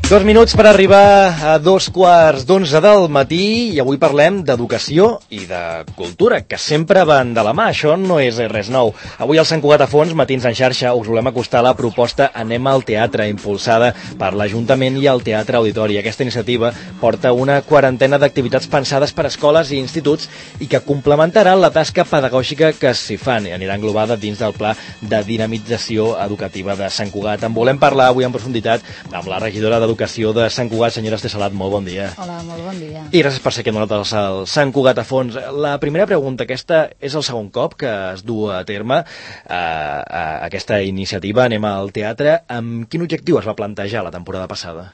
2 minuts per arribar a 2:15 del matí i avui parlem d'educació i de cultura, que sempre van de la mà. Això no és res nou. Avui al Sant Cugat a Fons, Matins en xarxa, us volem acostar a la proposta Anem al teatre, impulsada per l'Ajuntament i el Teatre Auditori. Aquesta iniciativa porta una quarantena d'activitats pensades per escoles i instituts i que complementaran la tasca pedagògica que s'hi fan i anirà englobada dins del Pla de Dinamització Educativa de Sant Cugat. En volem parlar avui en profunditat amb la regidora d'Educació de Sant Cugat, senyora Esther Salat. Molt bon dia. Hola, molt bon dia. I gràcies per ser aquí amb nosaltres al Sant Cugat a Fons. La primera pregunta, aquesta és el segon cop que es du a terme aquesta iniciativa Anem al teatre. Amb quin objectiu es va plantejar la temporada passada?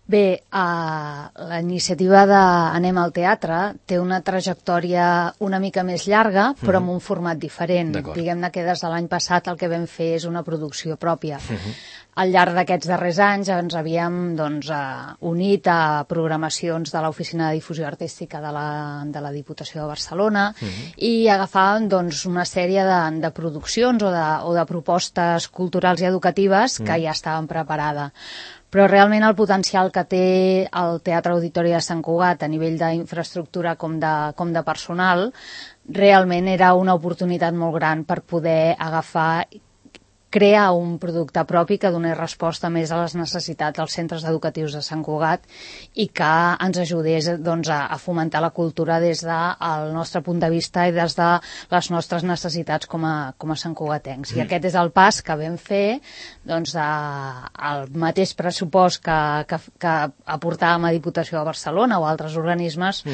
Bé, la iniciativa d'Anem al teatre té una trajectòria una mica més llarga, però amb un format diferent. Diguem-ne que des de l'any passat el que vam fer és una producció pròpia. Al llarg d'aquests darrers anys ens havíem unit a programacions de l'Oficina de Difusió Artística de la Diputació de Barcelona i agafàvem una sèrie de produccions o de propostes culturals i educatives que ja estaven preparades. Però realment el potencial que té el Teatre Auditori de Sant Cugat a nivell d'infraestructura com de personal realment era una oportunitat molt gran per poder crear un producte propi que donés resposta més a les necessitats dels centres educatius de Sant Cugat i que ens ajudés a fomentar la cultura des del nostre punt de vista i des de les nostres necessitats com a santcugatencs. I aquest és el pas que vam fer el mateix pressupost que aportàvem a Diputació de Barcelona o altres organismes,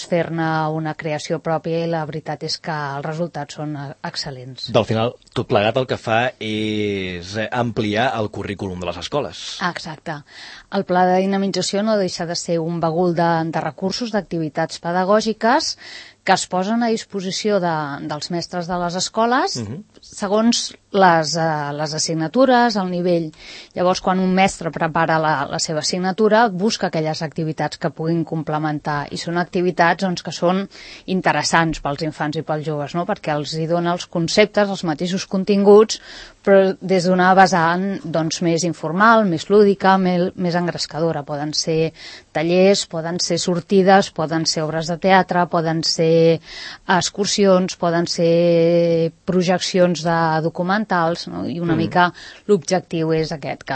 fer-ne una creació pròpia i la veritat és que els resultats són excel·lents. Al final, tot plegat el que fa és ampliar el currículum de les escoles. Exacte. El pla de dinamització no deixa de ser un bagul de recursos, d'activitats pedagògiques que es posen a disposició dels mestres de les escoles segons les assignatures, el nivell. Llavors, quan un mestre prepara la seva assignatura, busca aquelles activitats que puguin complementar i són activitats que són interessants pels infants i pels joves, no? Perquè els hi dona els conceptes, els mateixos continguts, però des d'una vessant més informal, més lúdica, més engrescadora. Poden ser tallers, poden ser sortides, poden ser obres de teatre, poden ser excursions, poden ser projeccions de documentals, no? I una mica l'objectiu és aquest, que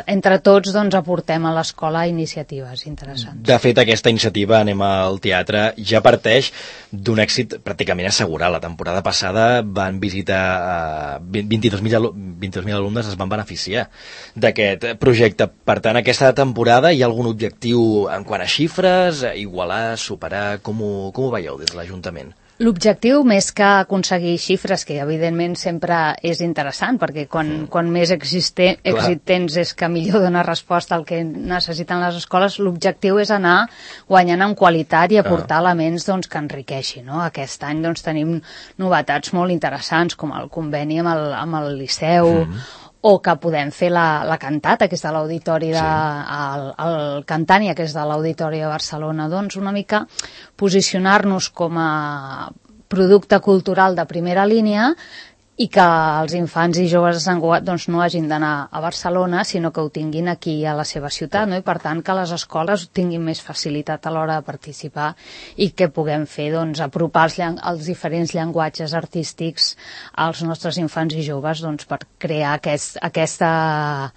entre tots aportem a l'escola iniciatives interessants. De fet, aquesta iniciativa Anem al teatre ja parteix d'un èxit pràcticament assegurat. La temporada passada van visitar 22.000 alumnes, es van beneficiar d'aquest projecte. Per tant, aquesta temporada hi ha algun objectiu en quant a xifres, igualar, superar? Com ho veieu des de l'Ajuntament? L'objectiu, més que aconseguir xifres, que evidentment sempre és interessant, perquè quan més èxit tens és que millor dona resposta al que necessiten les escoles, l'objectiu és anar guanyant en qualitat i aportar elements que enriqueixin, no? Aquest any tenim novetats molt interessants, com el conveni amb el Liceu, o que podem fer la cantata, que és de l'Auditori el Cantània, que és de l'Auditori de Barcelona. Una mica posicionar-nos com a producte cultural de primera línia i que els infants i joves de Sant Cugat no hagin d'anar a Barcelona, sinó que ho tinguin aquí a la seva ciutat, no? I per tant que les escoles tinguin més facilitat a l'hora de participar i que puguem fer apropar els diferents llenguatges artístics als nostres infants i joves per crear aquesta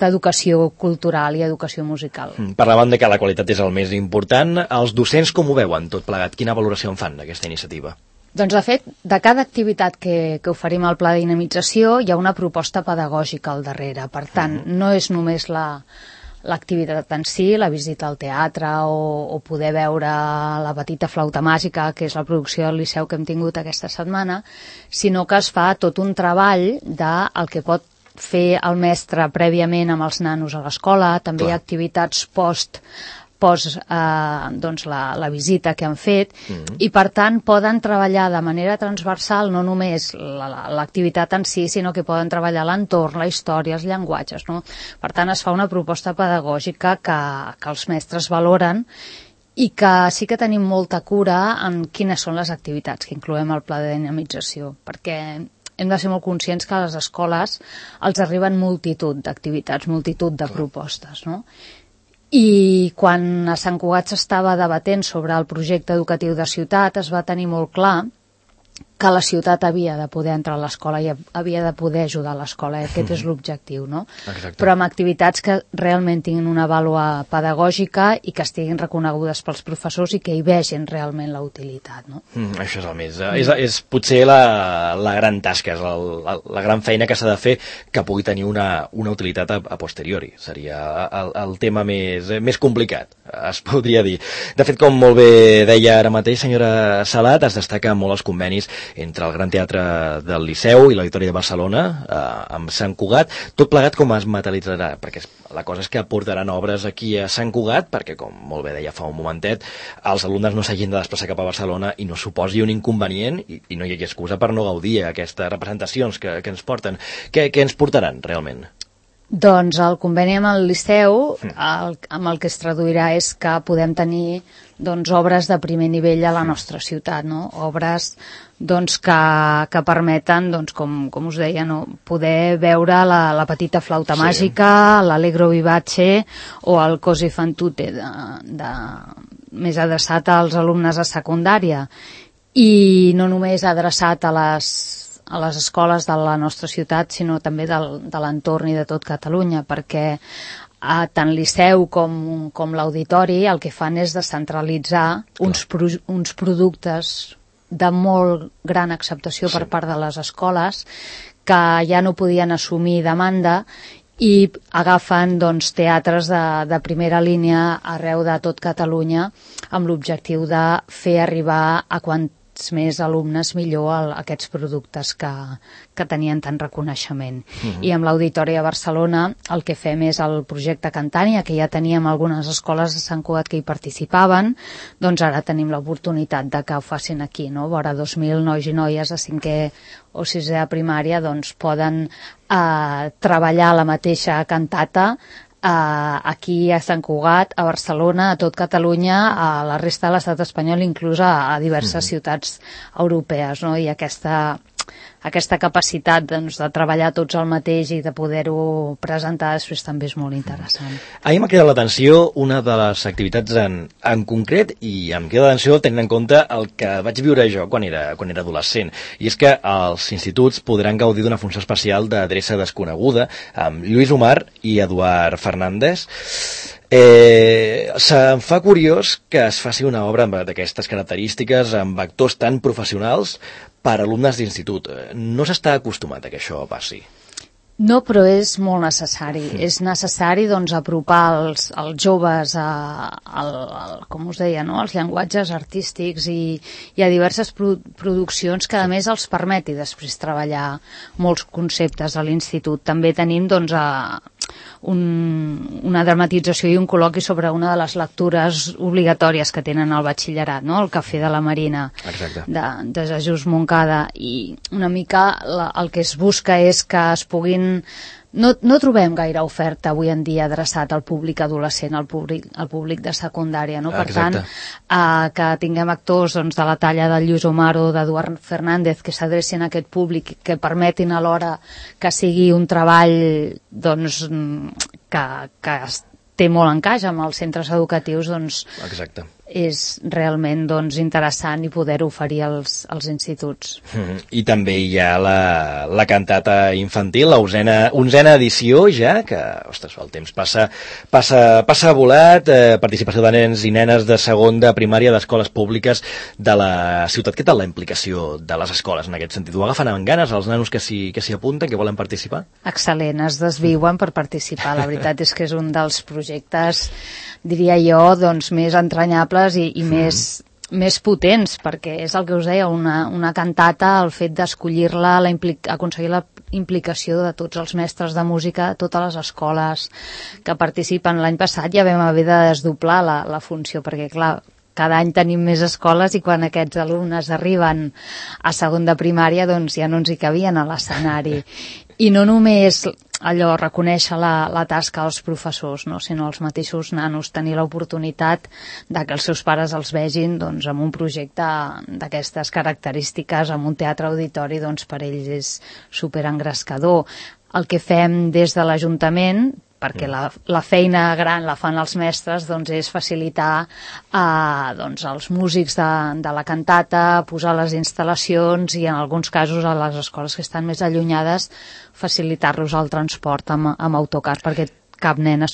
educació cultural i educació musical. Parlàvem de que la qualitat és el més important. Els docents com ho veuen tot plegat? Quina valoració en fan d'aquesta iniciativa? Doncs, de fet, de cada activitat que oferim al Pla de Dinamització hi ha una proposta pedagògica al darrere. Per tant, no és només l'activitat en si, la visita al teatre o poder veure la petita flauta màgica, que és la producció del Liceu que hem tingut aquesta setmana, sinó que es fa tot un treball del que pot fer el mestre prèviament amb els nanos a l'escola. També hi ha activitats post la visita que han fet i per tant poden treballar de manera transversal no només l'activitat en si, sinó que poden treballar l'entorn, la història, els llenguatges, no? Per tant es fa una proposta pedagògica que els mestres valoren i que sí que tenim molta cura en quines són les activitats que incloem al pla de dinamització, perquè hem de ser molt conscients que a les escoles els arriben multitud d'activitats, multitud de propostes, no? I quan a Sant Cugat s'estava debatent sobre el projecte educatiu de ciutat es va tenir molt clar que la ciutat havia de poder entrar a l'escola i havia de poder ajudar a l'escola, aquest és l'objectiu, no? Exacte. Però amb activitats que realment tinguin una vàlua pedagògica i que estiguin reconegudes pels professors i que hi vegin realment la utilitat, no? Això és el més... És potser la gran tasca, és la gran feina que s'ha de fer que pugui tenir una utilitat a posteriori. Seria el tema més complicat, es podria dir. De fet, com molt bé deia ara mateix, senyora Salat, es destaca molt els convenis entre el Gran Teatre del Liceu i l'Auditori de Barcelona, amb Sant Cugat, tot plegat com es materialitzarà, perquè la cosa és que portaran obres aquí a Sant Cugat, perquè, com molt bé deia fa un momentet, els alumnes no s'hagin de desplaçar cap a Barcelona i no suposi un inconvenient i no hi hagi excusa per no gaudir aquestes representacions que ens porten. Què ens portaran, realment? Doncs el conveni amb el Liceu, amb el que es traduirà és que podem tenir obres de primer nivell a la nostra ciutat, no? Obres que permeten, com us deia, poder veure la petita flauta màgica, l'Allegro Vivace o el Così fan tutte, més adreçat als alumnes de secundària. I no només adreçat a les escoles de la nostra ciutat, sinó també de l'entorn i de tot Catalunya, perquè tant Liceu com l'Auditori el que fan és descentralitzar uns productes de molt gran acceptació per part de les escoles que ja no podien assumir demanda i agafen teatres de primera línia arreu de tot Catalunya amb l'objectiu de fer arribar a quants més alumnes millor aquests productes que tenien tant reconeixement. I amb l'Auditori a Barcelona el que fem és el projecte Cantània, que ja teníem algunes escoles de Sant Cugat que hi participaven, doncs ara tenim l'oportunitat de que ho facin aquí, no? Vora 2.000 nois i noies de 5è o 6è a primària poden treballar la mateixa cantata aquí a Sant Cugat, a Barcelona, a tot Catalunya, a la resta de l'estat espanyol, inclús a diverses ciutats europees, no? I aquesta capacitat de treballar tots el mateix i de poder-ho presentar després també és molt interessant. A mi m'ha cridat l'atenció una de les activitats en concret i em queda l'atenció tenint en compte el que vaig viure jo quan era adolescent, i és que els instituts podran gaudir d'una funció especial d'adreça desconeguda amb Lluís Omar i Eduard Fernández. Se'm fa curiós que es faci una obra d'aquestes característiques amb actors tan professionals per alumnes d'institut. No s'està acostumat a que això passi. No, però és molt necessari. És necessari apropar els joves com us deia, no? Als llenguatges artístics i a diverses produccions que a més els permeti després treballar molts conceptes a l'institut. També tenim una dramatització i un col·loqui sobre una de les lectures obligatòries que tenen al batxillerat, no? El Cafè de la Marina. Exacte. de Jesús Moncada, i una mica el que es busca és que es puguin... No trobem gaire oferta avui en dia adreçat al públic adolescent, al públic de secundària, no? Per tant, que tinguem actors de la talla de Lluís Omar o d'Eduard Fernández que s'adrecin a aquest públic, que permetin alhora que sigui un treball que té molt encaix amb els centres educatius, Exacte. És realment interessant i poder oferir als instituts. I també hi ha la cantata infantil, la 11a edició ja, que, ostres, el temps passa volat, participació de nens i nenes de segon de primària d'escoles públiques de la ciutat. Què tal la implicació de les escoles en aquest sentit? Ho agafen amb ganes els nanos que s'hi apunten, que volen participar? Excel·lent, es desviuen per participar. La veritat és que és un dels projectes, diria jo, més entranyables i més potents, perquè és el que us deia, una cantata, el fet d'escollir-la, aconseguir la implicació de tots els mestres de música de totes les escoles que participen. L'any passat ja vam haver de desdoblar la funció, perquè clar, cada any tenim més escoles i quan aquests alumnes arriben a segon de primària ja no ens hi cabien a l'escenari. I no només allò reconèixer la tasca dels professors, no? Sinó els mateixos nanos, tenir l'oportunitat de que els seus pares els vegin doncs, amb un projecte d'aquestes característiques, amb un teatre auditori, doncs per ells és superengrescador. El que fem des de l'Ajuntament, perquè la feina gran la fan els mestres, doncs és facilitar doncs, als músics de la cantata, posar les instal·lacions i en alguns casos a les escoles que estan més allunyades facilitar-los el transport amb autocar perquè cap nen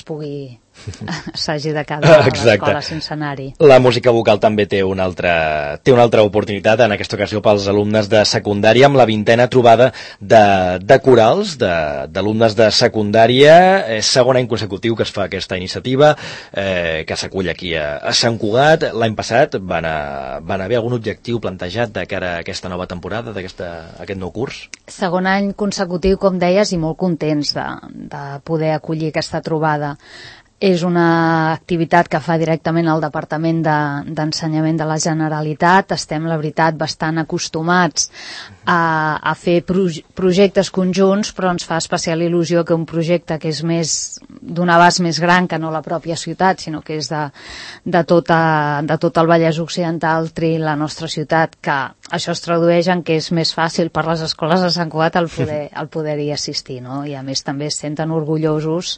s'hagi de quedar a l'escola sense anar-hi. La música vocal també té una altra oportunitat, en aquesta ocasió pels alumnes de secundària, amb la 20a trobada de corals d'alumnes de secundària. És segon any consecutiu que es fa aquesta iniciativa, que s'acull aquí a Sant Cugat. L'any passat van haver algun objectiu plantejat de cara a aquesta nova temporada, aquest nou curs? Segon any consecutiu, com deies, i molt contents de poder acollir aquesta trobada. És una activitat que fa directament el Departament d'Ensenyament de la Generalitat. Estem, la veritat, bastant acostumats a fer projectes conjunts, però ens fa especial il·lusió que un projecte que és d'un abast més gran que no la pròpia ciutat, sinó que és de tot el Vallès Occidental, triï la nostra ciutat, que això es tradueix en que és més fàcil per les escoles de Sant Cugat el poder-hi assistir, no? I a més també es senten orgullosos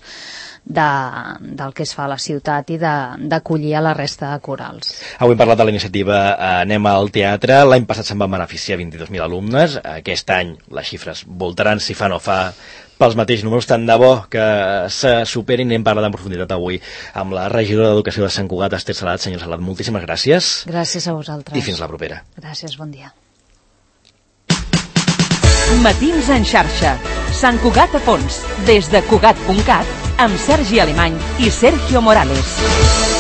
del que es fa a la ciutat i d'acollir a la resta de corals. Avui hem parlat de la iniciativa Anem al Teatre. L'any passat se'n van beneficiar 22.000 alumnes. Aquest any les xifres voltaran, si fa no fa, pels mateixos números. Tant de bo que se superin. N'hem parlat en profunditat avui amb la regidora d'Educació de Sant Cugat, Esther Salat. Senyor Salat, moltíssimes gràcies. Gràcies a vosaltres. I fins la propera. Gràcies, bon dia. Matins en xarxa. Sant Cugat a fons. Des de Cugat.cat amb Sergi Alemany i Sergio Morales.